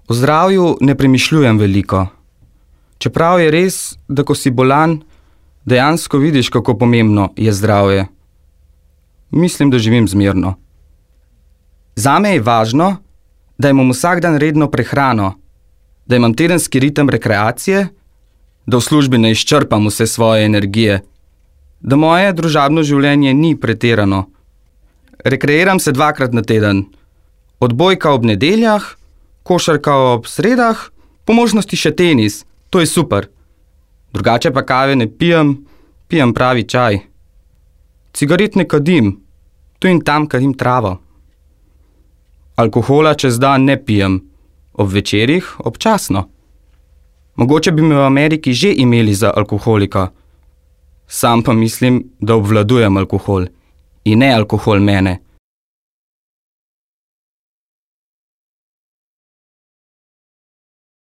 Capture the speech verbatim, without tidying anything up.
O zdravju ne premišljujem veliko. Čeprav je res, da ko si bolan, dejansko vidiš, kako pomembno je zdravje. Mislim, da živim zmerno. Zame je važno, da imam vsak dan redno prehrano, da imam tedenski ritem rekreacije, da v službi ne izčrpam vse svoje energije, da moje družabno življenje ni pretirano. Rekreiram se dvakrat na teden. Odbojka ob nedeljah, košarka ob sredah, po možnosti še tenis. To je super. Drugače pa kave ne pijem, pijem pravi čaj. Cigaret ne kadim, tu in tam kadim travo. Alkohola čez dan ne pijem, ob večerih občasno. Mogoče bi me v Ameriki že imeli za alkoholika. Sam pa mislim, da obvladujem alkohol in ne alkohol mene.